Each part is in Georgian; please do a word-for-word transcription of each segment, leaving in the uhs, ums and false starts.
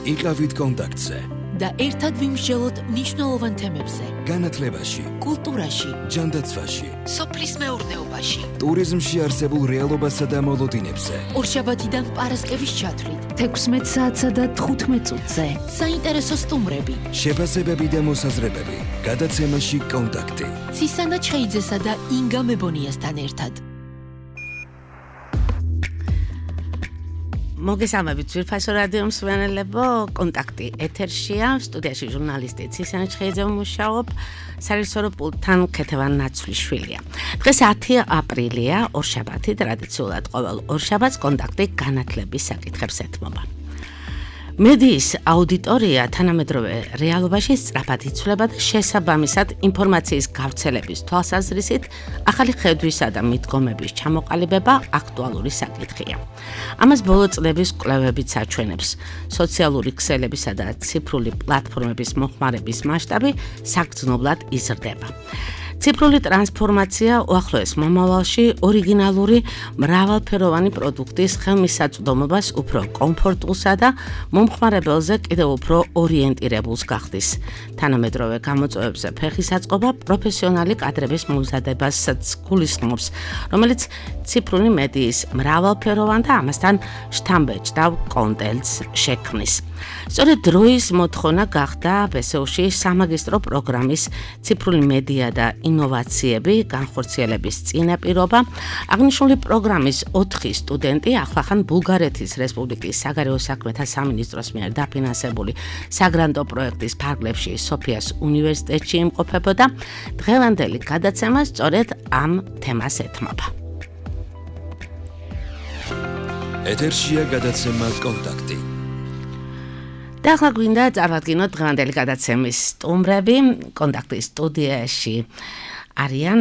იყავით კონტაქტზე და ერთად ვიმსჯელოთ მნიშვნელოვან თემებზე. განათლებაში, კულტურაში, ჯანდაცვაში, სოფლის მეურნეობაში, ტურიზმში არსებულ რეალობასა და მოლოდინებზე. ორშაბათიდან პარასკევის ჩათვლით, თექვსმეტ საათსა და თხუთმეტ წუთზე. საინტერესო სტუმრები, შეფასებები და მოსაზრებები. გადაცემაში კონტაქტი. ცისანა ჩხეიძესა და ინგა მებონიასთან ერთად. მოგესალმებით ძვირფასო რადიო მსმენელებო, კონტაქტი ეთერშია, სტუდიაში ჟურნალისტი ცისანა ჩხეიძე მუშაობ, სარეჟისორო პულტთან ქეთევან ნაცვლიშვილია. დღეს ათი აპრილია, ორშაბათი, ტრადიციულად ყოველ ორშაბათს კონტაქტი განათლების საკითხებს ეთმობა. მედიის აუდიტორია თანამედროვე რეალობაში სწრაფად იცვლება და შესაბამისად ინფორმაციის გავრცელების თვალსაზრისით ახალი ხედვისა და მიდგომების ჩამოყალიბება აქტუალური საკითხია. ამას ბოლო წლების კვლევებიც აჩვენებს. სოციალური ქსელებისა და ციფრული პლატფორმების მოხმარების მასშტაბი საგრძნობლად იზრდება. ციფრული ტრანსფორმაცია უახლოეს მომავალში ორიგინალური მრავალფეროვანი პროდუქტის ხელმისაწვდომობას უფრო კომფორტულსა და მომხმარებელზე კიდევ უფრო ორიენტირებულს გახდის. თანამედროვე გამოწვევებზე ფეხის აწყობა პროფესიონალი კადრების მომზადებასაც გულისხმობს, რომელიც ციფრული მედიის მრავალფეროვან და ამასთან შთამბეჭდავ კონტენტს შექმნის. სწორედ დროის მოთხოვნა გახდა ბესეუში სამაგისტრო პროგრამის ციფრული მედია და ინოვაციები განხორციელების წინაპირობა. აღნიშნული პროგრამის ოთხი სტუდენტი ახლახან ბულგარეთის რესპუბლიკის საგარეო საქმეთა სამინისტროს მიერ დაფინანსებული საგრანტო პროექტის ფარგლებში სოფიას უნივერსიტეტში იმყოფებოდა. დღევანდელი გადაცემა სწორედ ამ თემას ეთმობა. ეთერშია გადაცემა კონტაქტი. და ახლა გვინდა წარვადგინოთ დღევანდელი გადაცემის სტუმრები. კონტაქტის სტუდიაში არიან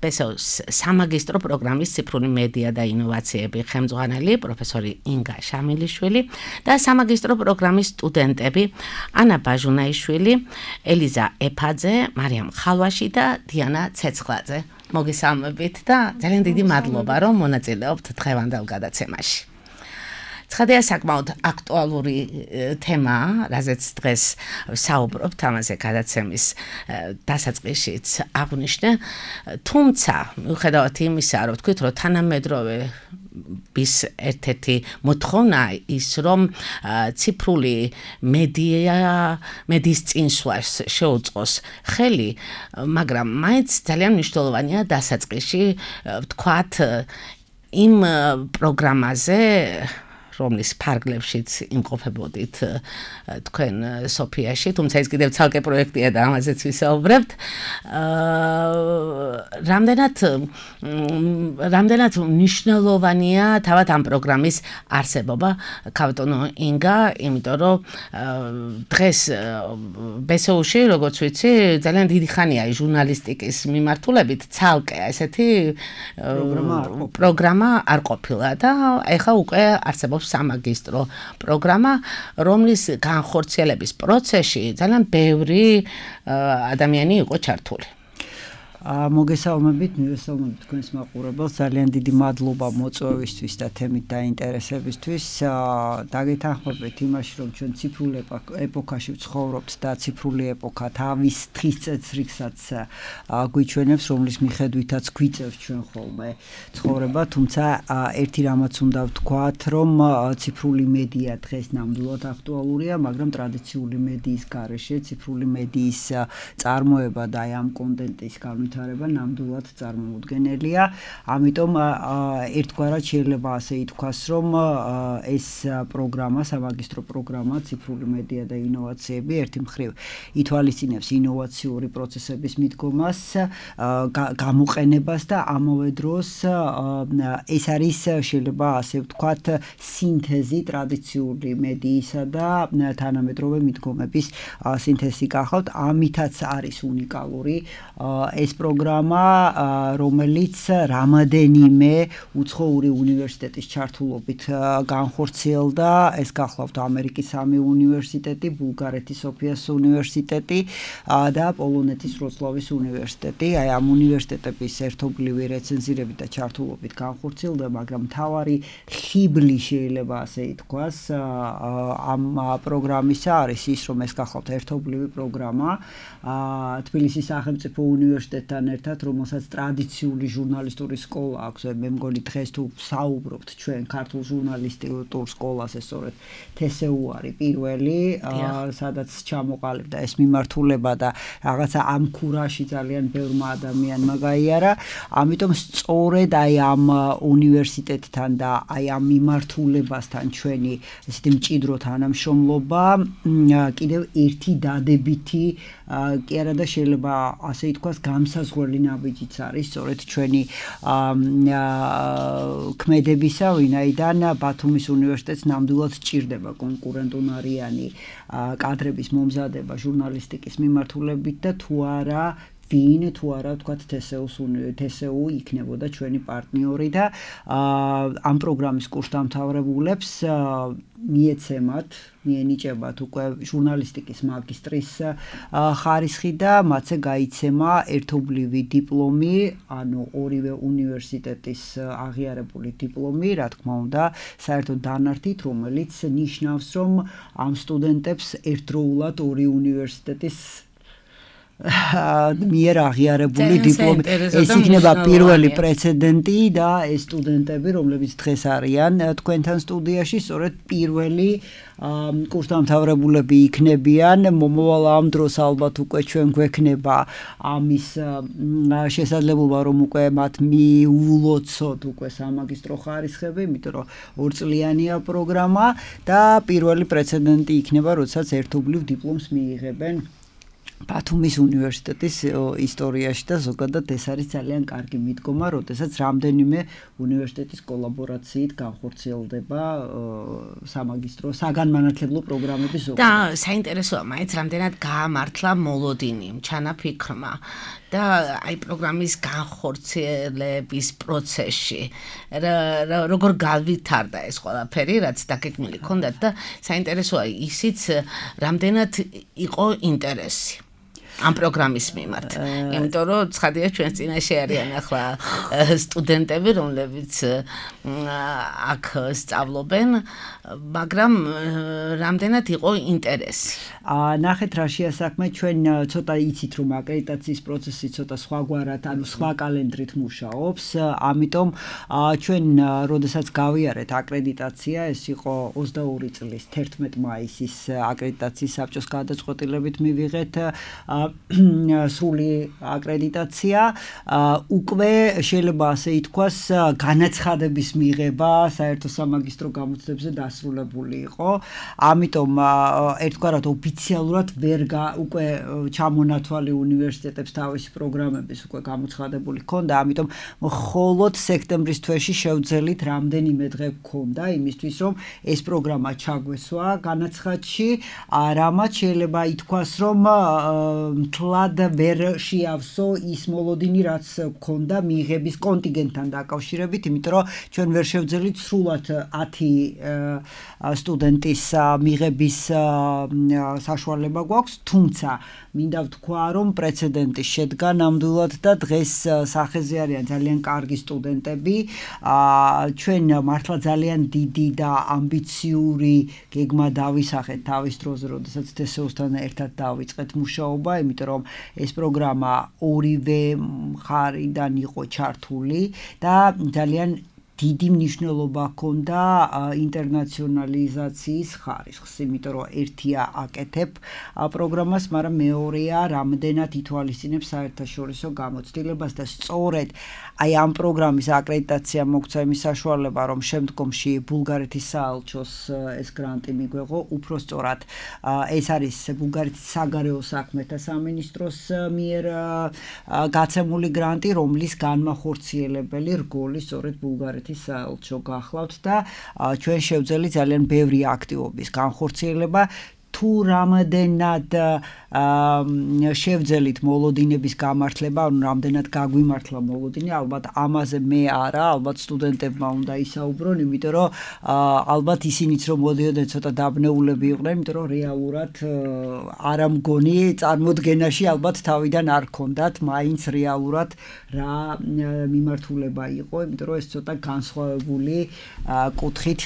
ბესეუს სამაგისტრო პროგრამის ციფრული მედია და ინოვაციები ხელმძღვანელი პროფესორი ინგა შამილიშვილი და სამაგისტრო პროგრამის სტუდენტები ანა ბაჟუნაიშვილი, ელიზა ეფაძე, მარიამ ხალვაში და დიანა ცეცხლაძე. მოგესალმებით და ძალიან დიდი მადლობა, რომ მონაწილეობთ დღევანდელ გადაცემაში. ცხადია საკმაოდ აქტუალური თემაა, რაზეც დღეს საუბრობთ, ამაზე გადაცემის დასაწყისშიც აღვნიშნე, თუმცა მიუხედავად იმისა, რომ ვთქვით, რომ თანამედროვე bis ერთ-ერთი მოთხოვნა ის, რომ ციფრული მედია, მედიის წინსვლას შეუწყოს ხელი, მაგრამ მაინც ძალიან მნიშვნელოვანია დასაწყისში ვთქვათ იმ პროგრამაზე, რომლის ფარგლებშიც იმყოფებოდით თქვენ სოფიაში, თუმცა ეს კიდევ ცალკე პროექტია და ამაზეც ვისაუბრებთ. რამდენად რამდენად მნიშვნელოვანია თავად ამ პროგრამის არსებობა, ქავტონო ინგა, იმიტომ რომ დღეს ბესეუში, როგორც ვიცი, ძალიან დიდი ხანია ჟურნალისტიკის მიმართულებით ცალკე ესეთი პროგრამა არ ყოფილა და ეხლა უკვე არსებობს სამაგისტრო პროგრამა, რომლის განხორციელების პროცესში ძალიან ბევრი ადამიანი იყო ჩართული. მოგესალმებით, მივესალმებით თქვენს მაყურებელს, ძალიან დიდი მადლობა მოწვევისთვის და თემით დაინტერესებისთვის. დაგეთანხმებით იმაში, რომ ჩვენ ციფრულ ეპოქაში ვცხოვრობთ და ციფრული ეპოქა თავის დღის წესრიგსაც გვიჩვენებს, რომლის მიხედვითაც გვიწევს ჩვენ ხოლმე ცხოვრება, თუმცა ერთი რამაც უნდა ვთქვათ, რომ ციფრული მედია დღეს ნამდვილად აქტუალურია, მაგრამ ტრადიციული მედიის გარეშე ციფრული მედიის წარმოება და ამ კონტენტის განვითარება ნამდვილად წარმოუდგენელია. ამიტომ ერთგვარად შეიძლება ასე ითქვას, რომ ეს პროგრამა, სამაგისტრო პროგრამა ციფრული მედია და ინოვაციები ერთი მხრივ ითვალისწინებს ინოვაციური პროცესების მიდგომას, გამოყენებას და ამავე დროს ეს არის შეიძლება ასე ვთქვათ სინთეზი ტრადიციული მედიისა და თანამედროვე მიდგომების სინთეზი გახავთ. ამითაც არის უნიკალური ეს პროგრამა, რომელიც რამოდენიმე უცხოური უნივერსიტეტის ჩართულობით განხორციელდა. ეს გახლავთ ამერიკის სამი უნივერსიტეტი, ბულგარეთის სოფიას უნივერსიტეტი და პოლონეთის ვროცლავის უნივერსიტეტი. აი ამ უნივერსიტეტების ერთობლივი რეცენზირებით და ჩართულობით განხორციელდა, მაგრამ მთავარი ხიბლი შეიძლება ასე ითქვას ამ პროგრამისა არის ის, რომ ეს გახლავთ ერთობლივი პროგრამა თბილისის სახელმწიფო უნივერსიტეტთან ერთად, რომელსაც ტრადიციული ჟურნალისტური სკოლა აქვს. მე მგონი დღეს თუ საუბრობთ ჩვენ ქართულ ჟურნალისტურ სკოლაზე, სწორედ თესეუ არის პირველი, სადაც ჩამოყალიბდა ეს მიმართულება და რაღაცა ამ ქურაში ძალიან ბევრმა ადამიანმა გაიარა. ამიტომ სწორედ აი ამ უნივერსიტეტთან და აი ამ მიმართულებასთან ჩვენი ესეთი მჭიდრო თანამშრომლობა კიდევ ერთი დადებითი კი არა და შეიძლება ასე ითქვას გამსაზღვრელი ნაბიჯიც არის სწორედ ჩვენი ქმედებისა, ვინაიდან ბათუმის უნივერსიტეტს ნამდვილად სჭირდება კონკურენტუნარიანი კადრების მომზადება ჟურნალისტიკის მიმართულებით და თუ არა ვინ თუ არა ვთქვათ თესეუ იქნებოდა ჩვენი პარტნიორი და ამ პროგრამის კურსდამთავრებულებს მიეცემათ, მიენიჭებათ უკვე ჟურნალისტიკის მაგისტრის ხარისხი და მათზე გაიცემა ერთობლივი დიპლომი, ანუ ორივე უნივერსიტეტის აღიარებული დიპლომი, რა თქმა უნდა, საერთოდ დანართით, რომელიც ნიშნავს, რომ ამ სტუდენტებს ერთდროულად ორი უნივერსიტეტის მიერ აღიარებული დიპლომი. ეს იქნება პირველი პრეცედენტი და ეს სტუდენტები, რომლებიც დღეს არიან თქვენთან სტუდიაში, სწორედ პირველი კურსდამთავრებულები იქნებიან. მომავალ ამ დროს ალბათ უკვე ჩვენ გვექნება ამის შესაძლებლობა, რომ უკვე მათ მიულოცოთ უკვე სამაგისტრო ხარისხები, იმიტომ რომ ორწლიანია პროგრამა და პირველი პრეცედენტი იქნება, როდესაც ერთობლივ დიპლომს მიიღებენ ბათუმის უნივერსიტეტის ისტორიაში და ზოგადად ეს არის ძალიან კარგი მიდგომა, როდესაც რამდენიმე უნივერსიტეტის კოლაბორაციით განხორციელდება სამაგისტრო საგანმანათლებლო პროგრამების ზოგადად. და საინტერესოა მაინც რამდენად გაამართლა მოლოდინი, ჩანაფიქრმა და აი პროგრამის განხორციელების პროცესში როგორ გავითარდა ეს ყველაფერი, რაც დაგეგმილი ჰქონდათ და საინტერესოა ისიც რამდენად იყო ინტერესი ამ პროგრამის მიმართ. იმიტომ რომ ცხადია ჩვენს წინაშე არიან ახლა სტუდენტები, რომლებიც აქ სწავლობენ, მაგრამ რამდენად იყო ინტერესი. ნახეთ რა შეასაქმე, ჩვენ ცოტა იცით რომ აკრედიტაციის პროცესი ცოტა სხვაგვარად, ანუ სხვა კალენდრით მუშაობს, ამიტომ ჩვენ როდესაც გავიარეთ აკრედიტაცია, ეს იყო ოცდაორი წლის თერთმეტი მაისის აკრედიტაციის საბჭოს გადაწყვეტილებით მივიღეთ სრული აკრედიტაცია, უკვე შეიძლება ასე ითქვას, განაცხადების მიღება საერთო სამაგისტრო გამოცდებზე დასრულებული იყო. ამიტომ ერთგვარად ოფიციალურად ვერ უკვე ჩამონათვალი უნივერსიტეტებს თავისი პროგრამების უკვე გამოცხადებული ჰქონდა, ამიტომ მხოლოდ სექტემბრის თვეში შევძელით რამდენიმე დღე ჰქონდა იმისთვის, რომ ეს პროგრამა ჩაგვესვა განაცხადში, რამაც შეიძლება ითქვას, რომ მთლად ვერ შეავსო ის მოლოდინი, რაც ჰქონდა მიღების კონტინგენტთან დაკავშირებით, იმიტომ რომ ჩვენ ვერ შევძელით სრულად ათი სტუდენტის მიღების საშუალება გვაქვს, თუმცა მინდა ვთქვა, რომ პრეცედენტი შედგა ნამდვილად და დღეს სახეზე არიან ძალიან კარგი სტუდენტები. ჩვენ მართლა ძალიან დიდი და ამბიციური გეგმა დავისახეთ თავის დროზე, როდესაც თესეუსთან ერთად დავიწყეთ მუშაობა, იმიტომ რომ ეს პროგრამა ორივე მხარიდან იყო ჩართული და ძალიან დიდი მნიშვნელობა ჰქონდა ინტერნაციონალიზაციის ხარისხს, იმიტომ რომ ერთია აკეთებ პროგრამას, მაგრამ მეორეა რამდენად ითვალისწინებს საერთაშორისო გამოცდილებას და სწორედ აი ამ პროგრამის აკრედიტაცია მოგცა იმის საშუალება, რომ შემდგომში ბულგარეთის საელჩოს ეს გრანტი მიგვეღო, უფრო სწორად ეს არის ბულგარეთის საგარეო საქმეთა სამინისტროს მიერ გაცემული გრანტი, რომლის განმახორციელებელი რგოლი სწორედ ბულგარეთის საელჩო გახლავთ და ჩვენ შევძელი ძალიან ბევრი აქტივობის განხორციელება თუ რამოდენად შევძელით მოლოდინების გამართლება, ანუ რამდენად გაგვიმართლა მოლოდინი, ალბათ ამაზე მე არა, ალბათ სტუდენტებმა უნდა ისაუბრონ, იმიტომ რომ ალბათ ისინიც რომ მოდიოდნენ ცოტა დაბნეულები იყვნენ, იმიტომ რომ რეალურად არ ამგონი წარმოდგენაში ალბათ თავიდან არ ქონდათ, მაინც რეალურად რა მიმართულება იყო, იმიტომ რომ ეს ცოტა განსხვავებული კუთხით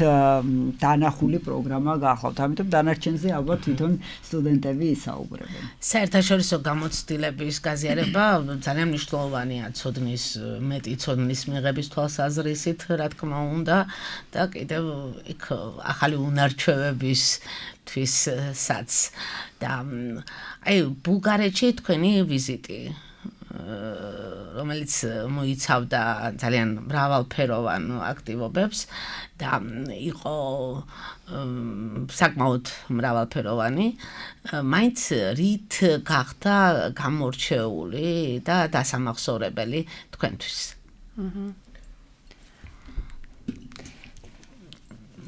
დანახული პროგრამა გახლავთ. ამიტომ დანარჩენზე ალბათ თვითონ სტუდენტები ისაუბრებენ. საერთაშორისო გამოცდილების გაზიარება ძალიან მნიშვნელოვანია ცოდნის მეტი ცოდნის მიღების თვალსაზრისით, რა თქმა უნდა, და კიდევ იქ ახალი უნარჩვევებისთვისაც და აი ბულგარეთში თქვენი ვიზიტი რომელიც მოიცავდა ძალიან მრავალფეროვან აქტივობებს და იყო საკმაოდ მრავალფეროვანი, მაინც რით გახდა გამორჩეული და დასამახსოვრებელი თქვენთვის?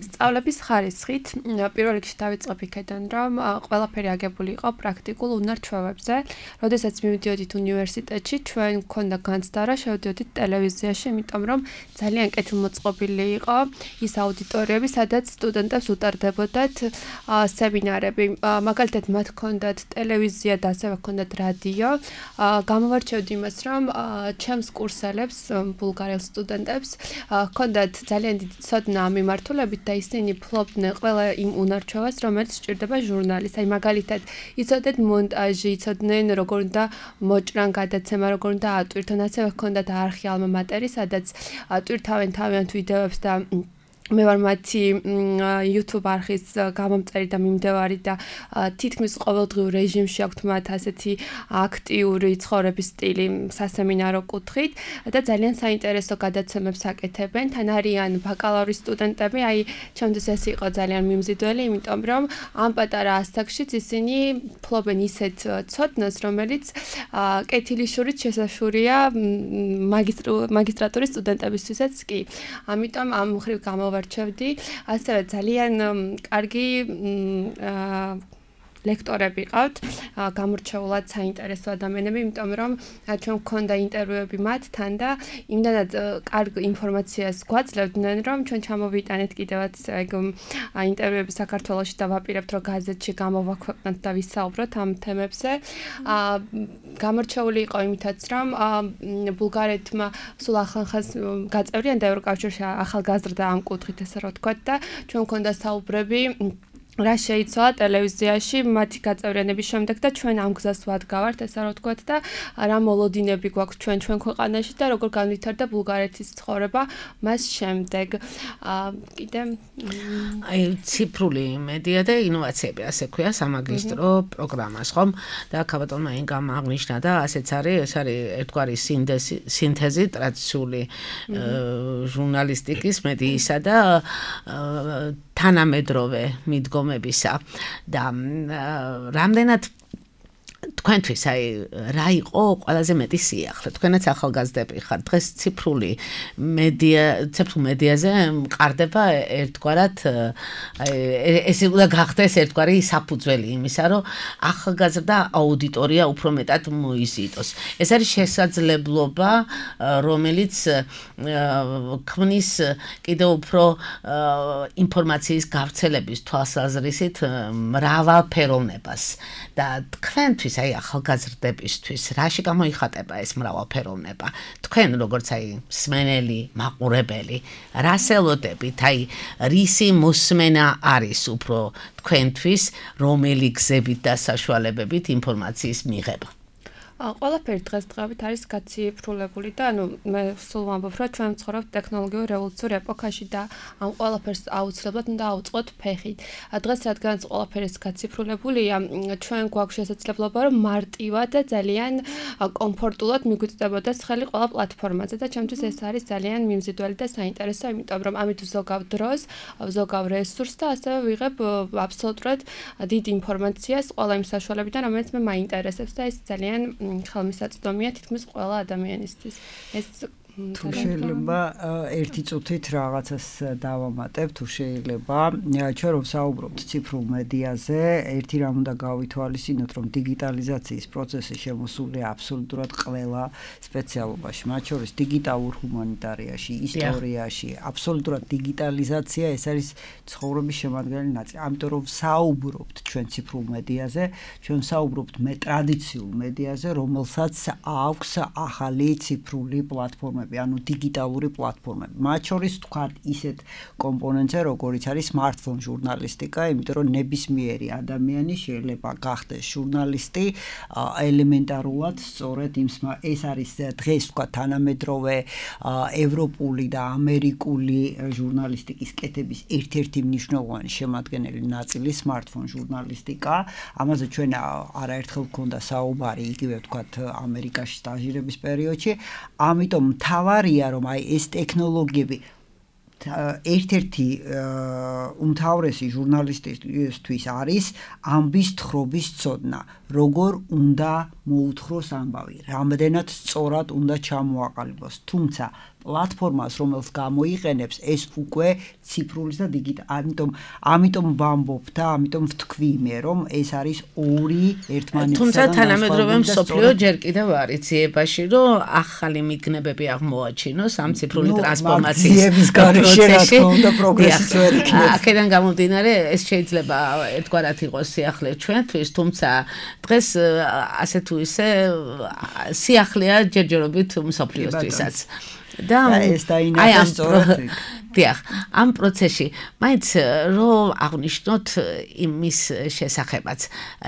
სწავლების ხარისხით პირველ რიგში დავიწყებ იქიდან, რომ ყველაფერი აგებული იყო პრაქტიკულ უნარ-ჩვევებზე. როდესაც მივიდიოდით უნივერსიტეტში, ჩვენ გვქონდა განცდა, რომ შევდიოდით ტელევიზიაში, იმიტომ რომ ძალიან კეთილმოწყობილი იყო ის აუდიტორიები, სადაც სტუდენტებს უტარდებოდათ სემინარები. მაგალითად, მათ ჰქონდათ ტელევიზია და ასევე ჰქონდათ რადიო. გამოვარჩევდი იმას, რომ ჩემს კურსელებს, ბულგარელ სტუდენტებს ჰქონდათ ძალიან დიდი ცოდნა ამ მიმართულებით და ისინი ფლობდნენ ყველა იმ უნარ-ჩვევას, რომელიც სჭირდება ჟურნალის. აი მაგალითად, იცოდნენ მონტაჟი, იცოდნენ როგორ უნდა მოჭრან გადაცემა, როგორ უნდა ატვირთონ, ასევე ჰქონდათ არხი ალმა მატერი, სადაც ატვირთავენ თავიანთ ვიდეოებს და მე ვარ მათი YouTube არხის გამომწერი და მიმდევარი და თითქმის ყოველდღიურ რეჟიმში აქვთ მათ ასეთი აქტიური ცხოვრების სტილი სასემინარო კუთხით და ძალიან საინტერესო გადაცემებს აკეთებენ. თან არიან ბაკალავრის სტუდენტები, აი ჩემთვის ეს იყო ძალიან მიმზიდველი, იმიტომ რომ ამ პატარა ასაკშიც ისინი ფლობენ ისეთ ცოდნას, რომელიც კეთილიშურით შესაშვია მაგისტრატურის სტუდენტებისთვისაც კი. ამიტომ ამ მხრივ გამოვარჩევდი. ასევე ძალიან კარგი ლექტორები ყავთ, გამორჩეულად საინტერესო ადამიანები, იმიტომ რომ ჩვენ გვქონდა ინტერვიუები მათთან და იმდანად კარგ ინფორმაციას გვაძლევდნენ, რომ ჩვენ ჩამოვიტანეთ კიდევაც ეგ ინტერვიუები საქართველოში და ვაპირებთ, რომ გაზეთში გამოვაქვეყნოთ და ვისაუბროთ ამ თემებზე. გამორჩეული იყო იმითაც, რომ ბულგარეთმა სულ ახლახანს გაწევრიანდა და ევროკავშირში ახალგაზრდა ამ კუთხით, ესე რომ ვთქვათ და ჩვენ გვქონდა საუბრები რა შეიცვალა ტელევიზიაში მათი გაწევრიანების შემდეგ და ჩვენ ამ გზას ვადგავართ, ესე რომ ვთქვათ და რა მოლოდინები გვაქვს ჩვენ ჩვენ ქვეყანაში და როგორ განვითარდა ბულგარეთის ცხოვრება მას შემდეგ. კიდე აი ციფრული მედია და ინოვაციები, ასე ქვია სამაგისტრო პროგრამას, ხომ? და ქაბატონმა ინგამ აღნიშნა და ასეც არის, ეს არის ერთგვარი სინთეზი ტრადიციული ჟურნალისტიკის, მედიისა და თანამედროვე მიდგომებისა და რამდენად თქვენთვის აი რა იყო ყველაზე მეტი სიახლე? თქვენაც ახალგაზრდები ხართ, დღეს ციფრული მედია, ციფრულ მედიაზე მყარდება ერთგვარად აი ეს უნდა გახდეს ერთგვარი საფუძველი იმისა, რომ ახალგაზრდა აუდიტორია უფრო მეტად მოიზიდოს. ეს არის შესაძლებლობა, რომელიც ქმნის კიდევ უფრო ინფორმაციის გავრცელების თვალსაზრისით მრავალფეროვნებას და თქვენთვის აი ახალგაზრდებისთვის რაში გამოიხატება ეს მრავალფეროვნება? თქვენ როგორც აი მსმენელი, მაყურებელი, რას ელოდებით? აი რისი მოსმენა არის უფრო თქვენთვის, რომელი გზებით და საშუალებებით ინფორმაციის მიღება? ყველაფერი დღესდღეობით არის გაციფრულებული და ანუ მე სულ ვამბობ, რომ ჩვენ ვცხოვრობთ ტექნოლოგიურ რევოლუციურ ეპოქაში და ამ ყველაფერს აუცილებლად უნდა ავუწყოთ ფეხით. დღეს რადგანაც ყველაფერი გაციფრულებულია, ჩვენ გვაქვს შესაძლებლობა, რომ მარტივად და ძალიან კომფორტულად მიგვიწდებოდეს ხელი ყველა პლატფორმაზე და ჩემთვის ეს არის ძალიან მიმზიდველი და საინტერესო, იმიტომ რომ ამით ვზოგავ დროს, ვზოგავ რესურსს და ასევე ვიღებ აბსოლუტურად დიდ ინფორმაციას ყველა იმ საშუალებიდან, რომელიც მე მაინტერესებს და ეს ძალიან ხელმისაწვდომია თითქმის ყველა ადამიანისთვის. ეს თუ შეიძლება ერთი წუთით რაღაცას დავამატებ, თუ შეიძლება, ჩვენ რომ საუბრობთ ციფრულ მედიაზე, ერთი რამ უნდა გავითვალისწინოთ, რომ დიგიტალიზაციის პროცესი შემოსულია აბსოლუტურად ყველა სპეციალობაში, მათ შორის დიგიტალურ ჰუმანიტარიაში, ისტორიაში, აბსოლუტურად დიგიტალიზაცია ეს არის ცხოვრების შემადგენელი ნაწილი. ამიტომ რომ საუბრობთ ჩვენ ციფრულ მედიაზე, ჩვენ საუბრობთ მე ტრადიციულ მედიაზე, რომელსაც აქვს ახალი ციფრული პლატფორმები, ანუ დიგიტალური პლატფორმები. მათ შორის თქვათ ისეთ კომპონენტზე, როგორიც არის smartphone ჟურნალისტიკა, იმიტომ რომ ნებისმიერი ადამიანი შეიძლება გახდეს ჟურნალისტი ელემენტარულად, სწორედ იმ ეს არის დღეს თქვათ თანამედროვე ევროპული და ამერიკული ჟურნალისტიკის კეთების ერთ-ერთი მნიშვნელოვანი შემადგენელი ნაწილი smartphone ჟურნალისტიკა. ამაზე ჩვენ არაერთხელ გქონდა საუბარი, იგივე ვთქვათ ამერიკაში სტაჟირების პერიოდში. ამიტომ მთავარია რომ აი ეს ტექნოლოგიები ერთ-ერთი უმთავრესი ჟურნალისტისთვის არის ამბის თხრობის ცოდნა. როგორ უნდა მოუთხროს ამბავი, რამდენად სწორად უნდა ჩამოაყალიბოს. თუმცა პლატფორმას, რომელს გამოიყენებს, ეს უკვე ციფრულის და დიგიტალ. ამიტომ ამიტომ ვამბობ და ამიტომ ვთქვი მე, რომ ეს არის ორი ერთმანეთისგან. თუმცა თანამედროვე მსოფლიო ჯერ კიდევ არის ძიებაში, რომ ახალი მიგნებები აღმოაჩინოს ამ ციფრული ტრანსფორმაციის პროცესში. აქედან გამომდინარე, ეს შეიძლება ერთგვარად იყოს სიახლე ჩვენთვის, თუმცა დღეს ასე თუ ისე სიახლეა ჯერჯერობით მსოფლიოსთვისაც. და ეს დაინახეს სწორად. დიახ, ამ პროცესში მაინც რომ აღნიშნოთ იმის შესახებაც,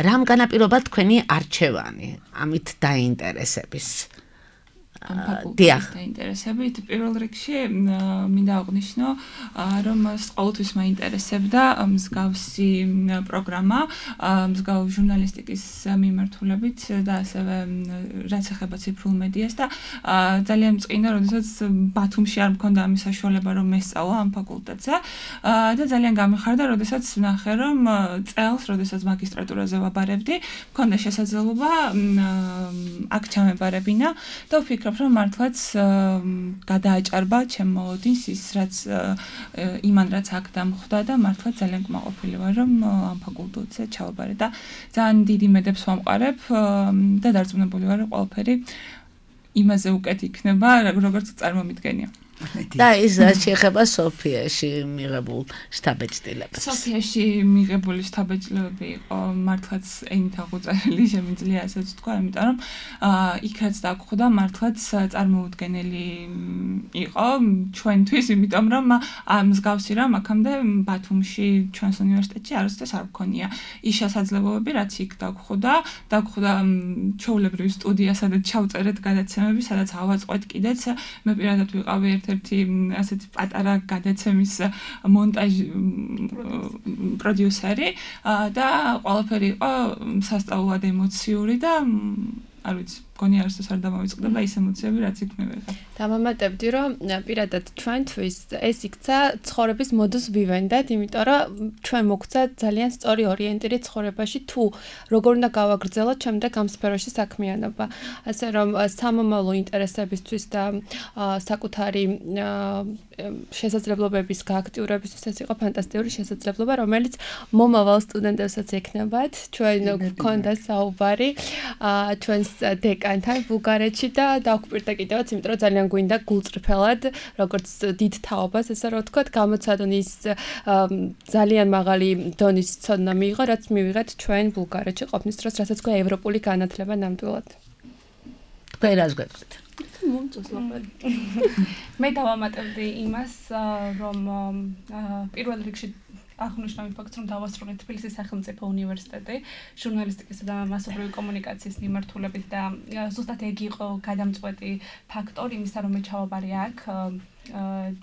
რამ განაპირობა თქვენი არჩევანი ამით დაინტერესების? ამ ფაკულტეტის დაინტერესებით პირველ რიგში მინდა აღვნიშნო, რომ ყოველთვის მაინტერესებდა მსგავსი პროგრამა, მსგავსი ჟურნალისტიკის მიმართულებით და ასევე რაც ეხება ციფრულ მედიას და ძალიან მწყინა, როდესაც ბათუმში არ მქონდა ამის საშუალება, რომ მესწავლა ამ ფაკულტეტზე და ძალიან გამიხარდა, როდესაც ვნახე, რომ წელს, როდესაც მაგისტრატურაზე ვაბარებდი, მქონდა შესაძლებლობა აქ ჩამებარებინა და ვფიქრობ, რომ მართლაც გადააჭარბა ჩემ მოლოდინს ის რაც იმან რაც აქ დამხვდა და მართლაც ძალიან კმაყოფილი ვარ რომ ამ ფაკულტეტზე ჩავაბარე და ძალიან დიდი მედებს ვამყარებ და დარწმუნებული ვარ რომ ყველაფერი იმაზე უკეთ იქნება როგორც წარმომიდგენია. და ის შეეხება სოფიაში მიღებულ შთაბეჭდილებას. სოფიაში მიღებული შთაბეჭდილებები იყო მართლაც ენით აღუწერელი, შემიძლია ასეც თქვა, იმიტომ რომ იქ რაც დაგხვდა მართლაც წარმოუდგენელი იყო ჩვენთვის, იმიტომ რომ მსგავსი რამ აქამდე ბათუმში ჩვენს უნივერსიტეტში არასდროს არ მქონია. ის შესაძლებლობები რაც იქ დაგხვდა, დაგხვდა ჩვეულებრივი სტუდია, სადაც ჩავწერეთ გადაცემები, სადაც ავაწყოთ კიდეც, მე პირადად ვიყავი ერთ-ერთი ასეთი პატარა გადაცემის მონტაჟ პროდიუსერი და ყველაფერი იყო სასწაულად ემოციური და არ ვიცი, მგონი არასდროს არ დამოვიწყდება ის ემოციები, რაც იქ მე ვიღებ. დამამატებდი, რომ პირადად ჩვენთვის ეს იქცა ცხოვრების მოდუს ვივენდეთ, იმიტომ რომ ჩვენ მოგვცა ძალიან სწორი ორიენტირი ცხოვრებაში, თუ როგორ უნდა გავაგრძელოთ შემდეგ ამ სფეროში საქმიანობა. ასე რომ სამომავლო ინტერესებისთვის და საკუთარი შესაძლებლობების გააქტიურებისთვის ეს იყო ფანტასტიკური შესაძლებლობა, რომელიც მომავალ სტუდენტებსაც ექნებათ. ჩვენ გვქონდა საუბარი ჩვენს დეკანთან ბულგარეთში და დავგვირდა კიდევაც, იმიტომ რომ ძალიან გვინდა გულწრფელად, როგორც დიდ თაობას, ესე რომ ვთქვათ, გამოცადონ ის ძალიან მაღალი დონის ცოდნა მიიღო, რაც მივიღეთ ჩვენ ბულგარეთში ყოფნის დროს, რასაც ქვია ევროპული განათლება ნამდვილად. თქვენ რას გვექით? მე დავამატებდი იმას, რომ პირველ რიგში აღნიშნავ ფაქტს, რომ დავასრულე თბილისის სახელმწიფო უნივერსიტეტი ჟურნალისტიკისა და მასობრივი კომუნიკაციის მიმართულებით და ზუსტად ეგ იყო გადამწყვეტი ფაქტორი იმისა, რომ მე ჩავაბარე აქ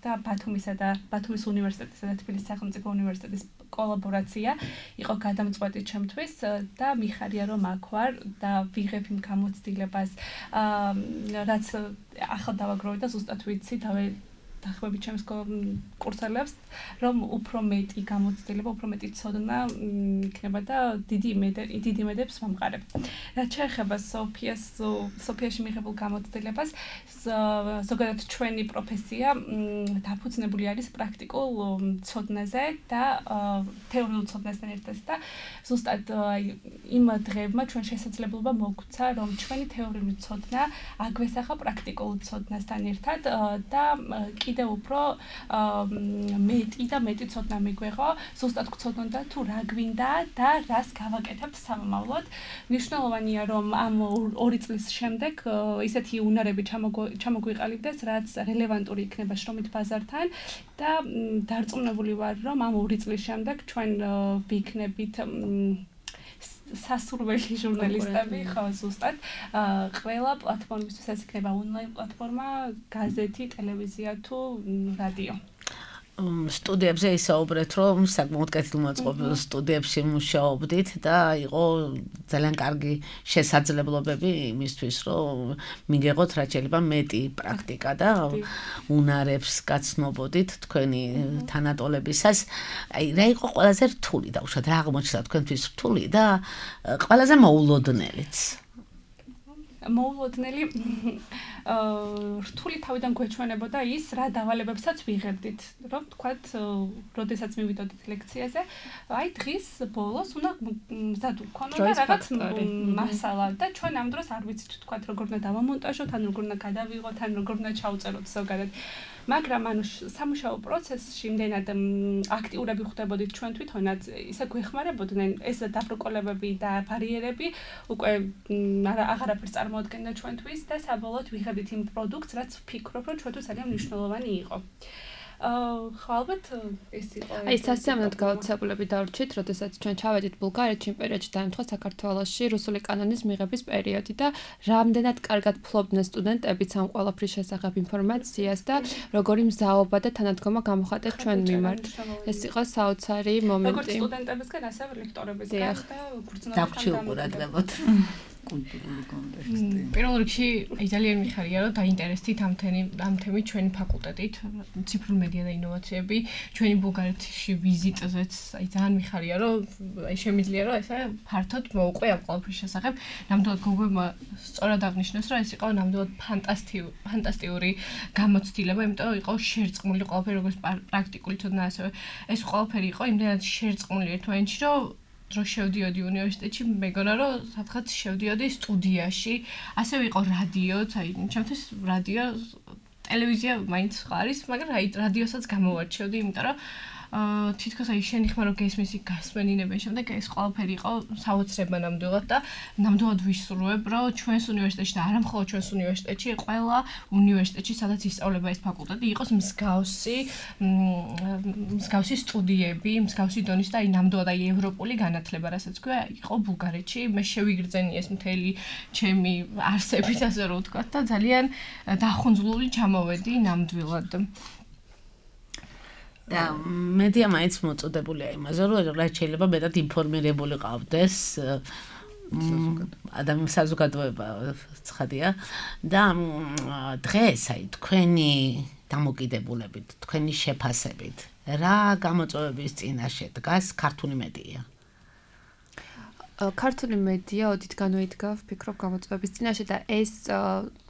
და ბათუმისა და ბათუმის უნივერსიტეტისა და თბილისის სახელმწიფო უნივერსიტეტის კოლაბორაცია იყო გადამწყვეტი ჩემთვის და მიხარია რომ აქ ვარ და ვიღებ იმ გამოცდილებას რაც ახლა დავაგროვე და ზუსტად ვიცი და დახვევით ჩემს კურსელებს, რომ უფრო მეტი გამოცდილება, უფრო მეტი ცოდნა იქნება და დიდი დიდი იმედებს ვამყარებ. რაც შეეხება სოფიას, სოფიაში მიღებულ გამოცდილებას, ზოგადად ჩვენი პროფესია დაფუძნებული არის პრაქტიკულ ცოდნაზე და თეორიულ ცოდნასთან ერთად და ზუსტად იმ დღეებმა ჩვენ შესაძლებლობა მოგვცა, რომ ჩვენი თეორიული ცოდნა აგვესახა პრაქტიკულ ცოდნასთან ერთად და კიდევ უფრო მეტი და მეტი ცოდნა მიგვეღო, ზუსტად გვცოდნოდა თუ რა გვინდა და რას გავაკეთებთ სამომავლოდ. მნიშვნელოვანია, რომ ამ ორი წლის შემდეგ ისეთი უნარები ჩამოგვიყალიბდეს, რაც რელევანტური იქნება შრომით ბაზართან და დარწმუნებული ვარ, რომ ამ ორი წლის შემდეგ ჩვენ ვიქნებით სასურველი ჟურნალისტები, ხო, ზუსტად. ყველა პლატფორმისთვის ეს იქნება ონლაინ პლატფორმა, გაზეთი, ტელევიზია თუ რადიო. სტუდიებზე ისაუბრეთ, რომ საკმაოდ კეთილმოწყობილ სტუდიებში მუშაობდით და იყო ძალიან კარგი შესაძლებლობები იმისთვის, რომ მიგეღოთ რაც შეიძლება მეტი პრაქტიკა და უნარებს გაცნობოდით თქვენი თანატოლებისას. აი, რა იყო ყველაზე რთული და უშუალოდ რა აღმოჩნდა თქვენთვის რთული და ყველაზე მოულოდნელიც? მოულოდნელი რთული თავიდან გვეჩვენებოდა ის, რა დავალებებსაც ვიღებდით, რომ თქვათ, როდესაც მივიდოდით ლექციაზე, აი დღის ბოლოს უნდა მზად ვქონოდა რაღაც მასალა და ჩვენ ამ დროს არ ვიცით თქვათ, როგორ უნდა დავამონტაჟოთ, ან როგორ უნდა გადავიღოთ, ან როგორ უნდა ჩავწეროთ ზოგადად. მაგრამ ანუ სამუშაო პროცესში იმდენად აქტიურები ხდებოდით ჩვენ თვითონაც, ისე გვეხმარებოდნენ ეს დაბრკოლებები და ბარიერები უკვე აღარაფერს წარმოადგენდა ჩვენთვის და საბოლოოდ ვიღებდით იმ პროდუქტს, რაც ვფიქრობ, რომ ჩვენთვის ძალიან მნიშვნელოვანი იყო. ხო, ალბათ ეს იყო. აი, სასიამოვნოდ გაოცებულები დავრჩით, როდესაც ჩვენ ჩავედით ბულგარეთში იმ პერიოდში დაემთხვა საქართველოში რუსული კანონის მიღების პერიოდი და რამდენად კარგად ფლობდნენ სტუდენტებიც ამ ყველაფრის შესახებ ინფორმაციას და როგორი მზაობა და თანადგომა გამოხატეს ჩვენ მიმართ. ეს იყო საოცარი მომენტი. როგორც სტუდენტებისგან, ასევე ლექტორებისგან და გრძნობთან დამკვირვებულად. კულტურული კონტექსტი. პირველ რიგში აი ძალიან მიხარია, რომ დაინტერესდით ამ ამ თემით ჩვენი ფაკულტეტით, ციფრული მედია და ინოვაციები, ჩვენი ბულგარეთში ვიზიტზეც, აი ძალიან მიხარია, რომ აი შემიძლია, რომ ესე ფართოდ მოუყვე ამ ყველაფრის შესახებ. ნამდვილად გოგოებმა სწორად აღნიშნეს, რომ ეს იყო ნამდვილად ფანტასტიკური, ფანტასტიკური გამოცდილება, იმიტომ რომ იყო შერწყმული ყველაფერი, როგორც პრაქტიკული ცოდნა, ასევე ეს ყველაფერი იყო იმდენად შერწყმული ერთმანეთში, რომ რო შევდიოდი უნივერსიტეტში, მეგონა რომ სადღაც შევდიოდი სტუდიაში, ასევე იყო რადიოც, აი, ჩემთვის რადიო, ტელევიზია მაინც არის, მაგრამ აი რადიოსაც გამოვარჩევდი, იმიტომ რომ თითქოს აი შენი ხმა რო გესმის გასმენინებენ შემდეგ ეს ყველაფერი იყო საოცრება ნამდვილად და ნამდვილად ვისურვებ, რომ ჩვენს უნივერსიტეტში და არა მხოლოდ ჩვენს უნივერსიტეტში, ყველა უნივერსიტეტში, სადაც ისწავლება ეს ფაკულტეტი, იყოს მსგავსი მსგავსი სტუდიები, მსგავსი დონის და აი ნამდვილად აი ევროპული განათლება, რასაც ქვია, იყო ბულგარეთში. მე შევიგრძენი ეს მთელი ჩემი არსებით, ასე რომ ვთქვა და ძალიან დახუნძლული ჩამოვედი ნამდვილად. და მედია მაინც მოწოდებულია იმაზე, რომ რაც შეიძლება მეტად ინფორმირებული ყავდეს ადამიანის საზოგადოება ცხადია და დღეს აი თქვენი დამოკიდებულებით, თქვენი შეფასებით რა გამოწვევების წინაშე დგას ქართული მედია? ქართული მედია ოდითგანვე იდგა, ვფიქრობ, გამოწვევების წინაშე და ეს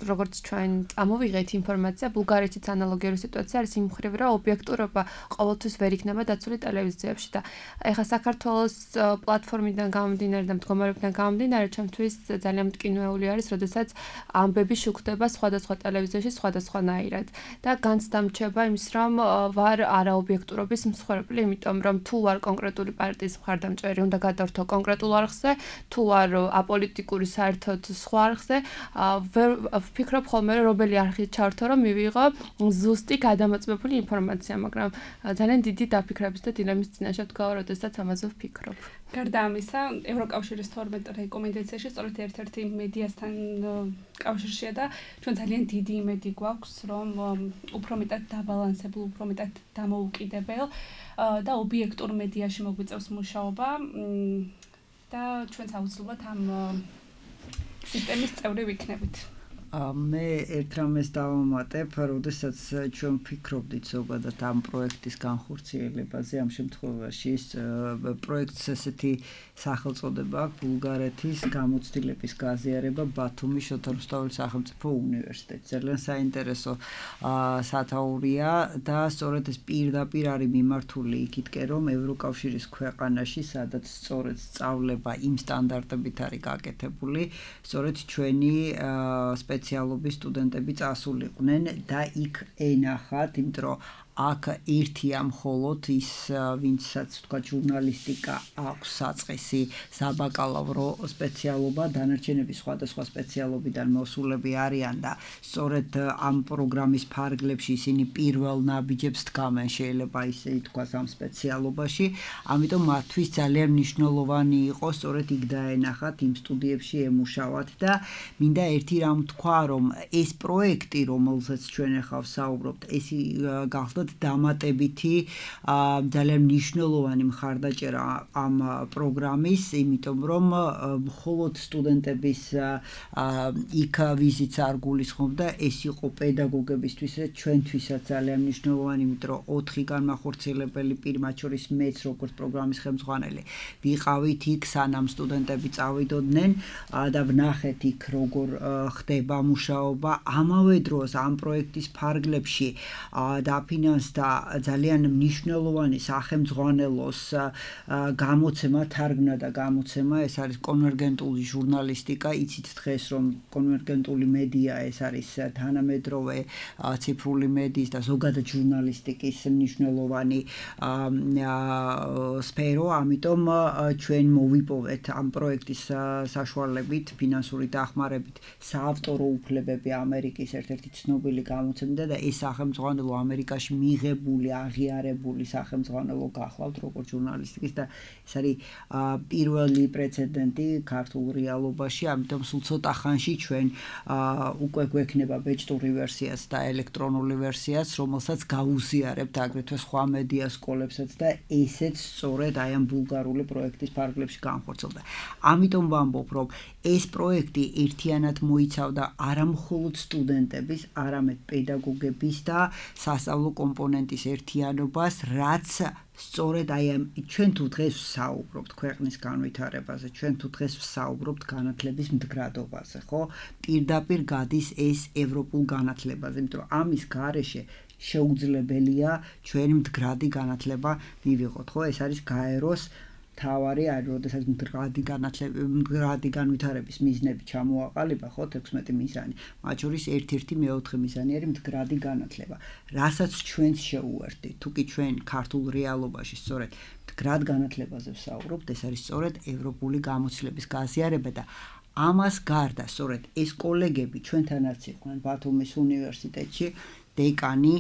როგორც ჩვენ ამოვიღეთ ინფორმაცია, ბულგარეთშიც ანალოგიური სიტუაცია არის იმ მხრივ, რომ ობიექტურობა ყოველთვის ვერ იქნება დაცული ტელევიზიებში და ეხლა საქართველოს პლატფორმიდან გამომდინარე და მდგომარეობიდან გამომდინარე, ჩემთვის ძალიან მტკივნეული არის, როდესაც ამბები შუქდება სხვადასხვა ტელევიზიაში სხვადასხვანაირად და განცდამრჩება იმის, რომ ვარ არაობიექტურობის მსხვერპლი, იმიტომ რომ თუ ვარ კონკრეტული პარტიის მხარდამჭერი, უნდა გადავერთო კონკრეტულ არხს თუ არ აპოლიტიკური საერთოდ სხვა არხზე, ვფიქრობ ხოლმე რომ რომელი არხით ჩავერთო, რომ მივიღო ზუსტი გადამოწმებული ინფორმაცია, მაგრამ ძალიან დიდი დაფიქრების და დილემის წინაშე ვდგავ, როდესაც ამაზე ვფიქრობ. გარდა ამისა, ევროკავშირის თორმეტ რეკომენდაციაში სწორედ ერთ-ერთი მედიასთან კავშირშია და ჩვენ ძალიან დიდი იმედი გვაქვს, რომ უფრო მეტად დაბალანსებულ, უფრო მეტად დამოუკიდებელ და ობიექტურ მედიაში მოგვიწევს მუშაობა. და ჩვენც აუცილებლად ამ სისტემის წევრი ვიქნებით. მე ერთ რამეს დავამატებ, როდესაც ჩვენ ვფიქრობდით ზოგადად ამ პროექტის განხორციელებაზე, ამ შემთხვევაში ეს პროექტს ესეთი სახელწოდება აქვს ბულგარეთის გამოცდილების გაზიარება ბათუმის შოთა რუსთაველის სახელმწიფო უნივერსიტეტში. ძალიან საინტერესო სათაურია და სწორედ ეს პირდაპირ არის მიმართული იქითკენ, რომ ევროკავშირის ქვეყანაში, სადაც სწორედ სწავლება იმ სტანდარტებით არის გაკეთებული, სწორედ ჩვენი სპეციალობის სტუდენტები წასულიყვნენ და იქ ენახათ, იმიტომ რომ აქ ერთია მხოლოდ ის, ვინცაც თქვა ჟურნალისტიკა აქვს საწყისი საბაკალავრო სპეციალობა, დანარჩენები სხვადასხვა სპეციალობიდან მოსულები არიან და სწორედ ამ პროგრამის ფარგლებში ისინი პირველ ნაბიჯებს დგამენ, შეიძლება ისე ითქვას ამ სპეციალობაში, ამიტომ მათთვის ძალიან მნიშვნელოვანი იყო სწორედ იქ დაენახათ, იმ სტუდიებში ემუშავათ და მინდა ერთი რამ თქვა, რომ ეს პროექტი, რომელზეც ჩვენ ახლა ვსაუბრობთ, ეს გახდა დამატებითი ძალიან მნიშვნელოვანი მხარდაჭერა ამ პროგრამის, იმიტომ რომ მხოლოდ სტუდენტების იქ ვიზიტს არ გულისხმობდა, ეს იყო პედაგოგებისთვის, ჩვენთვისაც ძალიან მნიშვნელოვანი, იმიტომ რომ ოთხი განმახორციელებელი პირ, მათ შორის მეც როგორც პროგრამის ხელმძღვანელი, ვიყავით იქ, სანამ სტუდენტები წავიდოდნენ და ვნახეთ იქ როგორ ხდება მუშაობა, ამავე დროს ამ პროექტის ფარგლებში დაფინანსდა და ძალიან მნიშვნელოვანი სახელმძღვანელოს გამოცემა, თარგმნა და გამოცემა, ეს არის კონვერგენტული ჟურნალისტიკა, იცით დღეს რომ კონვერგენტული მედია ეს არის თანამედროვე ციფრული მედიის და ზოგადად ჟურნალისტიკის მნიშვნელოვანი სფერო, ამიტომ ჩვენ მოვიპოვეთ ამ პროექტის საშუალებით, ფინანსური დახმარებით საავტორო უფლებები ამერიკის ერთ-ერთი ცნობილი გამოცემდა და ეს სახელმძღვანელო ამერიკაში მიღებული, აღიარებული სახელმძღვანელო გახლავთ როგორც ჟურნალისტიკის და ეს არის პირველი პრეცედენტი ქართულ რეალობაში, ამიტომ სულ ცოტა ხანში ჩვენ უკვე გვექნება ბეჭდური ვერსიაც და ელექტრონული ვერსიაც, რომელსაც გაუზიარებთ აგრეთვე სხვა მედია სკოლებსაც და ესეც სწორედ აი ამ ბულგარული პროექტის ფარგლებში განხორციელდა. ამიტომ ვამბობ, რომ ეს პროექტი ერთიანად მოიცავდა არა მხოლოდ სტუდენტების, არამედ პედაგოგების და სასწავლო კომპონენტის ერთიანობას, რაც სწორედ აი ამ ჩვენ თუ დღეს ვსაუბრობთ ქვეყნის განვითარებაზე, ჩვენ თუ დღეს ვსაუბრობთ განათლების მდგრადობაზე, ხო? პირდაპირ გადის ეს ევროპულ განათლებაზე, იმიტომ რომ ამის გარეშე შეუძლებელია ჩვენი მდგრადი განათლება მივიღოთ, ხო? ეს არის გაეროს თავარი არის, როდესაც მდგრადი განათლება, მდგრადი განვითარების მიზნები ჩამოაყალიბა, ხო, თექვსმეტი მიზანი. მათ შორის ერთ-ერთი მეოთხე მიზანი არის მდგრადი განათლება. რასაც ჩვენც შეუერთდით, თუ კი ჩვენ ქართულ რეალობაში სწორედ მდგრად განათლებაზე ვსაუბრობთ, ეს არის სწორედ ევროპული გამოცდილების გაზიარება და ამას გარდა, სწორედ ეს კოლეგები ჩვენთანაც იყვნენ ბათუმის უნივერსიტეტში, დეკანი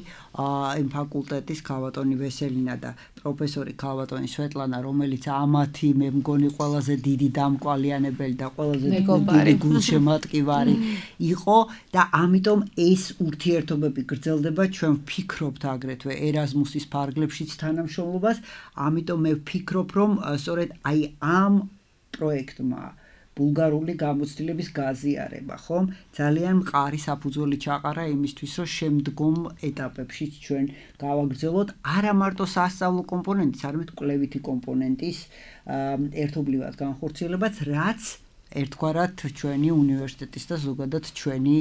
იმ ფაკულტეტის ქალბატონი ვესელინა და პროფესორი ქალბატონი სვეტლანა, რომელიც ამათი მე მგონი ყველაზე დიდი დამკვალიანებელი და ყველაზე დიდი გულშემატკივარი იყო და ამიტომ ეს ურთიერთობები გრძელდება, ჩვენ ვფიქრობთ აგრეთვე ერაზმუსის ფარგლებშიც თანამშრომლობას, ამიტომ მე ვფიქრობ, რომ სწორედ აი ამ პროექტმა ბულგარული გამოცდილების გაზიარება, ხომ? ძალიან მყარი საფუძველი ჩაყარა იმისთვის, რომ შემდგომ ეტაპებში ჩვენ გავაგრძელოთ არა მარტო სასწავლო კომპონენტის, არამედ კვლევითი კომპონენტის ერთობლივად განხორციელებაც, რაც ერთგვარად ჩვენი უნივერსიტეტის და ზოგადად ჩვენი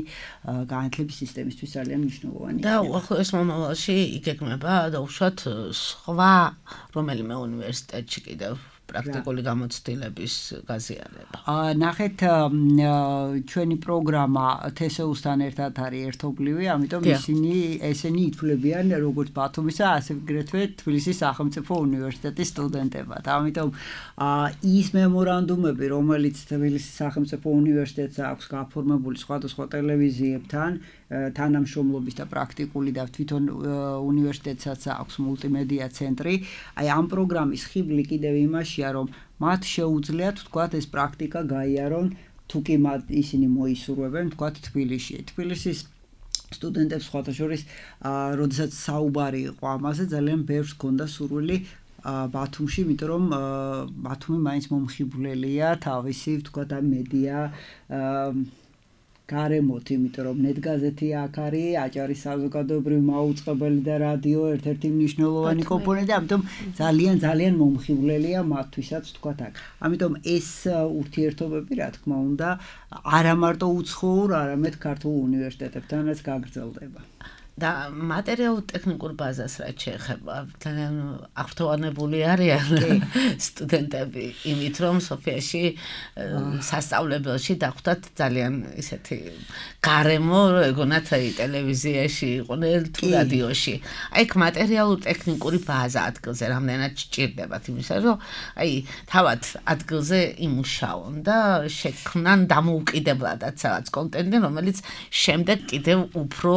განათლების სისტემისთვის ძალიან მნიშვნელოვანია. და უახლოეს მომავალში იგეგმება დაუშვათ სხვა რომელიმე უნივერსიტეტში კიდევ პრაქტიკული გამოცდილების გაზიარება. ნახეთ, ჩვენი პროგრამა თესეუსთან ერთად არის ერთობლივი, ამიტომ ისინი ესენი ითვლებიან როგორც ბათუმისა, ასე აგრეთვე თბილისის სახელმწიფო უნივერსიტეტის სტუდენტებად. ამიტომ ის მემორანდუმები, რომელიც თბილისის სახელმწიფო უნივერსიტეტს აქვს გაფორმებული სხვადასხვა ტელევიზიებთან, თანამშრომლობის და პრაქტიკული და თვითონ უნივერსიტეტსაც აქვს მულტიმედია ცენტრი, აი ამ პროგრამის ხიბლი კიდევ იმაშია, რომ მათ შეუძლიათ ვთქვათ ეს პრაქტიკა გაიარონ, თუ კი მათ ისინი მოისურვებენ ვთქვათ თბილისში. თბილისის სტუდენტებს სხვათა შორის, როდესაც საუბარი იყო ამაზე, ძალიან ბევრს ჰქონდა სურვილი ბათუმში, იმიტომ რომ ბათუმი მაინც მომხიბვლელია თავისი ვთქვათ ამ მედია გარემოთ, იმიტომ რომ ნეტგაზეთი აქ არის, აჭარის საზოგადოებრივი მაუწყებელი და რადიო ერთ-ერთი მნიშვნელოვანი კომპონენტი, ამიტომ ძალიან ძალიან მომხიბვლელია მათთვისაც თქვათ აქ. ამიტომ ეს ურთიერთობები, რა თქმა უნდა, არა მარტო უცხოურ, არამედ ქართულ უნივერსიტეტებთანაც გაგრძელდება. და მატერიალურ ტექნიკურ ბაზას რაც შეეხება, ძალიან აღფრთოვანებული არიან სტუდენტები, იმით რომ სოფიაში სასწავლებელში დახვდათ ძალიან ისეთი გარემო, ეგონათ ტელევიზიაში იყვნენ თუ რადიოში. აი ეგ მატერიალურ ტექნიკური ბაზა ადგილზე რამდენად სჭირდებათ იმისა, რომ აი თავად ადგილზე იმუშაონ და შექმნან დამოუკიდებლადაც რაღაც კონტენტი, რომელიც შემდეგ კიდევ უფრო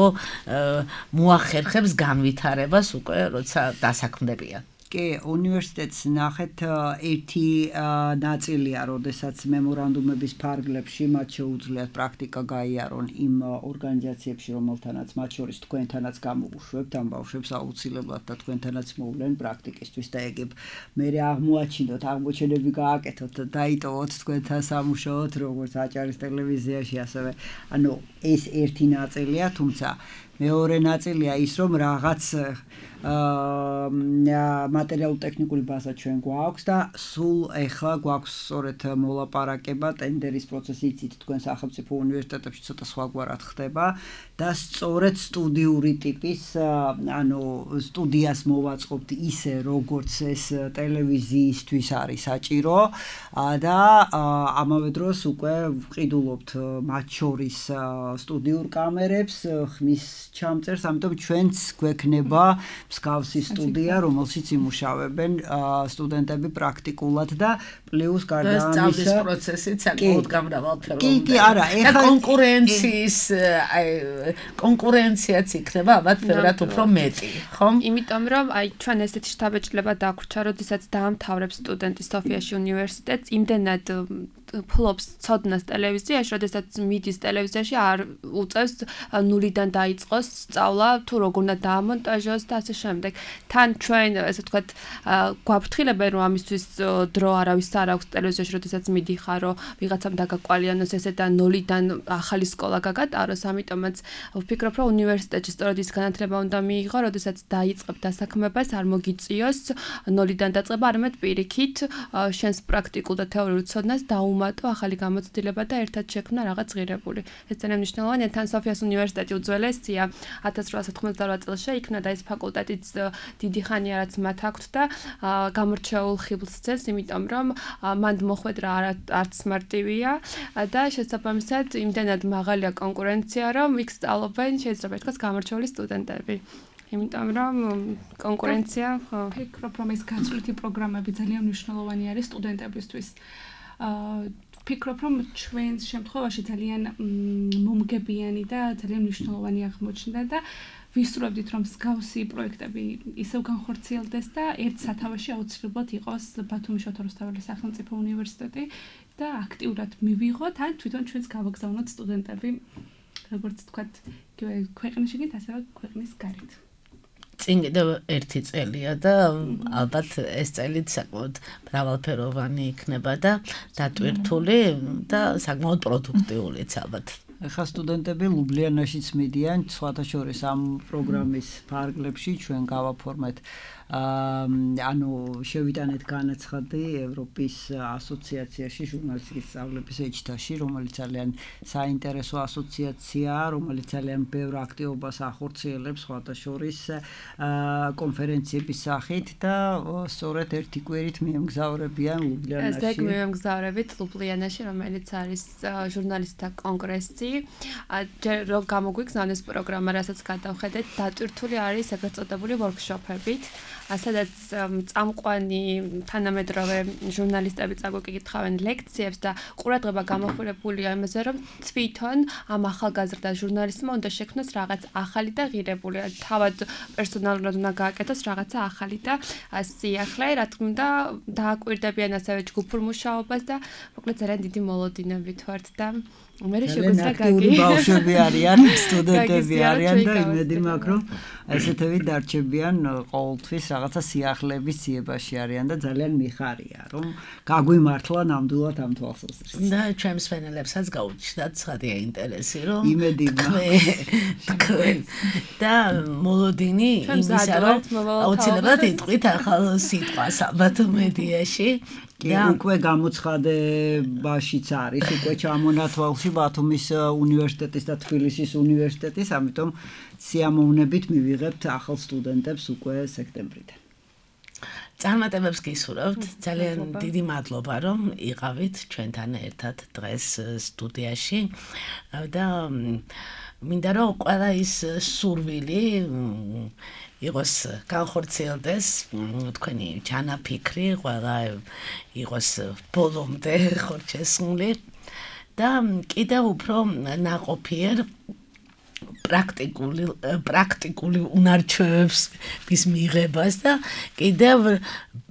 მოახერხებს განვითარებას უკვე როცა დასაქმდებიან. კი, უნივერსიტეტს ნახეთ ერთი ნაწილია, როდესაც მემორანდუმების ფარგლებში მათ შეუძლიათ პრაქტიკა გაიარონ იმ ორგანიზაციებში, რომელთანაც მათ შორის თქვენთანაც გამოვუშვებთ, ამ ბავშვებს აუცილებლად და თქვენთანაც მოვლენ პრაქტიკისთვის და ეგებ მე აღმოაჩინოთ, აღმოჩენები გააკეთოთ და დაიტოვოთ თქვენთან სამუშაოდ, როგორც აჭარის ტელევიზიაში, ასევე ანუ ეს ერთი ნაწილია, თუმცა მეორე ნაწილია ის, რომ რაღაც მატერიალურ ტექნიკური ბაზა ჩვენ გვაქვს და სულ ეხლა გვაქვს სწორედ მოლაპარაკება ტენდერის პროცესი, იცით თქვენ სახელმწიფო უნივერსიტეტებში ცოტა სხვაგვარად ხდება და სწორედ სტუდიური ტიპის, ანუ სტუდიას მოვაწყობთ ისე, როგორც ეს ტელევიზიისთვის არის საჭირო და ამავე დროს უკვე ვყიდულობთ მათ შორის სტუდიურ კამერებს, ხმის ჩამწერს, ამიტომ ჩვენც გვექნება მსგავსი სტუდია, რომელშიც იმუშავებენ სტუდენტები პრაქტიკულად და პლუს გარდა ამისა სწავლის პროცესიც საკმაოდ გამრავალფეროვანია. კი, კი, არა, ეხლა კონკურენციის აი კონკურენციაც იქნება ალბათ ბევრად უფრო მეტი, ხო? იმიტომ რომ აი ჩვენ ესეთი შთაბეჭდილება დაგვრჩა, როდესაც დაამთავრებს სტუდენტი სოფიაში უნივერსიტეტს, იმდენად ფლობს ცოდნას ტელევიზიაში, როდესაც მიდის ტელევიზიაში არ უწევს ნულიდან დაიწყოს სწავლა, თუ როგორ უნდა დაამონტაჟოს და ასე შემდეგ. თან ჩვენ ესე ვთქვათ გვაფრთხილებენ რომ ამისთვის დრო არავის არ აქვს ტელევიზიაში, როდესაც მიდიხარ, რომ ვიღაცამ დაგაკვალიანოს ესე და ნულიდან ახალი სკოლა გაგატაროს, ამიტომაც ვფიქრობ, რომ უნივერსიტეტში სწორედ ის განათლება უნდა მიიღო, როდესაც დაიწყებ დასაქმებას, არ მოგიწიოს ნულიდან დაწყება, არამედ პირიქით შენს პრაქტიკულ და თეორიულ ცოდნას დაუმატო ახალი გამოცდილება და ერთად შექმნა რაღაც ღირებული. ეს ძალიან მნიშვნელოვანია. თან სოფიას უნივერსიტეტი უძველესია, ათას რვაასა თხმოცდაორვა წელს შეიქმნა და ეს ფაკულტეტიც დიდი ხანია რაც მათ აქვთ და გამორჩეულ ხიბლს ძეს, იმიტომ რომ მანდ მოხვედრა არც მარტივია და შესაბამისად იმდენად მაღალია კონკურენცია, რომ იქ სწავლობენ შეიძლება ითქვას გამორჩეული სტუდენტები. იმიტომ რომ კონკურენცია, ხო, ვფიქრობ, რომ ეს გაწვრთი პროგრამები ძალიან მნიშვნელოვანი არის სტუდენტებისთვის. ვფიქრობ, რომ ჩვენს შემთხვევაში ძალიან მომგებიანი და ძალიან მნიშვნელოვანი აღმოჩნდა და ვისურვებდით, რომ მსგავსი პროექტები ისევ განხორციელდეს და ერთ სათავეში აუცილებლად იყოს ბათუმის შოთა რუსთაველის სახელმწიფო უნივერსიტეტი და აქტიურად მივიღოთ, ან თვითონ ჩვენს გავაგზავნოთ სტუდენტები, როგორც თქვათ, ქვეყნის შიგნით, ასევე ქვეყნის გარეთ. წინ კიდევ ერთი წელია და ალბათ ეს წელიც საკმაოდ მრავალფეროვანი იქნება და დატვირთული და საკმაოდ პროდუქტიულიც ალბათ. ეხლა სტუდენტები ლუბლიანაშიც მიდიან, სხვათა შორის ამ პროგრამის ფარგლებში ჩვენ გავაფორმეთ ანუ შევიტანეთ განაცხადი ევროპის ასოციაციაში ჟურნალისტიკის სწავლების ეჭდაში, რომელიც ძალიან საინტერესო ასოციაციაა, რომელიც ძალიან ბევრ აქტივობას ახორციელებს სხვათა შორის კონფერენციების სახით და სწორედ ერთი კვირით მიემგზავრებიან ლუბლიანაში. ესე მიემგზავრებით ლუბლიანაში, რომელიც არის ჟურნალისტთა კონგრესი. ჯერ რო გამოგვიგზავნეს პროგრამა, რასაც გადავხედეთ, დატვირთული არის ეგრეთ წოდებული ვორქშოპებით. სადაც წამყვანი თანამედროვე ჟურნალისტები წაგვიკითხავენ ლექციებს და ყურადღება გამოხმარებულია იმაზე, რომ თვითონ ამ ახალგაზრდა ჟურნალისტმა უნდა შექმნას რაღაც ახალი და ღირებული. თავად პერსონალურად უნდა გააკეთოს რაღაცა ახალი და სიახლე, რა თქმა უნდა, დააკვირდებიან ასევე ჯგუფურ მუშაობას და მოკლედ ძალიან დიდი მოლოდინებით ვართ და მე შეგვიძლია გაგი ბავშვები არიან, სტუდენტები არიან და იმედი მაქვს, რომ ესეთები დარჩებიან ყოველთვის რაღაცა სიახლეების ძიებაში არიან და ძალიან მიხარია, რომ გაგვიმართლა ნამდვილად ამ თვალსაზრისით. და ჩემს ფენელებსაც გაუჩნდათ ცხადია ინტერესი, რომ იმედი თქვენ და მოლოდინი იმისა, რომ აუცილებლად იტყვით ახალ სიტყვას ალბათ მედიაში. და უკვე გამოცხადებაშიც არის, უკვე ჩამონათვალში ბათუმის უნივერსიტეტის და თბილისის უნივერსიტეტის, ამიტომ სიამოვნებით მივიღებთ ახალ სტუდენტებს უკვე სექტემბრიდან. წარმატებებს გისურვებთ, ძალიან დიდი მადლობა, რომ იყავით ჩვენთან ერთად დღეს სტუდიაში და მინდა რომ ყველა ის სურვილი იყოს განხორციელდეს, თქვენი ჩანაფიქრი, ყველა იყოს ბოლომდე ხორჩესული და კიდევ უფრო ნაყოფიერ პრაქტიკული პრაქტიკული უნარჩვევების მიღებას და კიდევ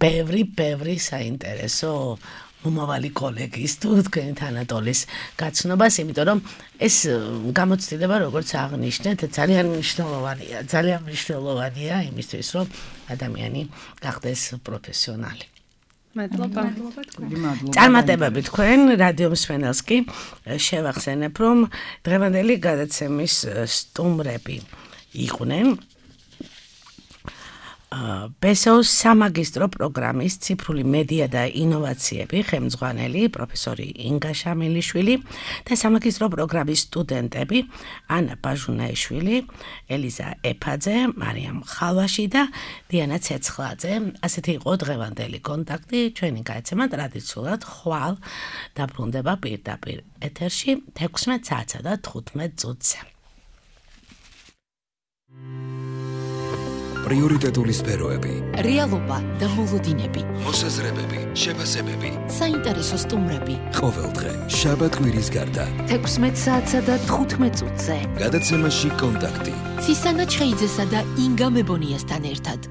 ბევრი ბევრი საინტერესო მომავალი კოლეგის თუ თქვენი თანატოლის გაცნობას, იმიტომ რომ ეს გამოცდილება, როგორც აღნიშნეთ, ძალიან მნიშვნელოვანია, ძალიან მნიშვნელოვანია იმისთვის, რომ ადამიანი გახდეს პროფესიონალი. მადლობა. წარმატებები თქვენ რადიო მსმენელს კი შევახსენებ, რომ დღევანდელი გადაცემის სტუმრები იყვნენ ბესოს სამაგისტრო პროგრამის ციფრული მედია და ინოვაციები ხელმძღვანელი პროფესორი ინგა შამილიშვილი და სამაგისტრო პროგრამის სტუდენტები ანა ბაჟუნაიშვილი, ელიზა ეფაძე, მარიამ ხალვაში და დიანა ცეცხლაძე. ასეთი იყო დღევანდელი კონტაქტი. ჩვენი გადაცემა ტრადიციულად ხვალ დაბრუნდება პირდაპირ ეთერში თექვსმეტ საათსა და თხუთმეტ წუთზე. პრიორიტეტული სფეროები, რეალობა და მოლოდინები, მოსაზრებები, შეფასებები, საინტერესო სტუმრები. ყოველდღე შაბათ-კვირის გარდა თექვსმეტ საათსა და თხუთმეტ წუთზე. გადაცემაში კონტაქტი. ცისანა ჩხეიძესა და ინგა მებონიასთან ერთად.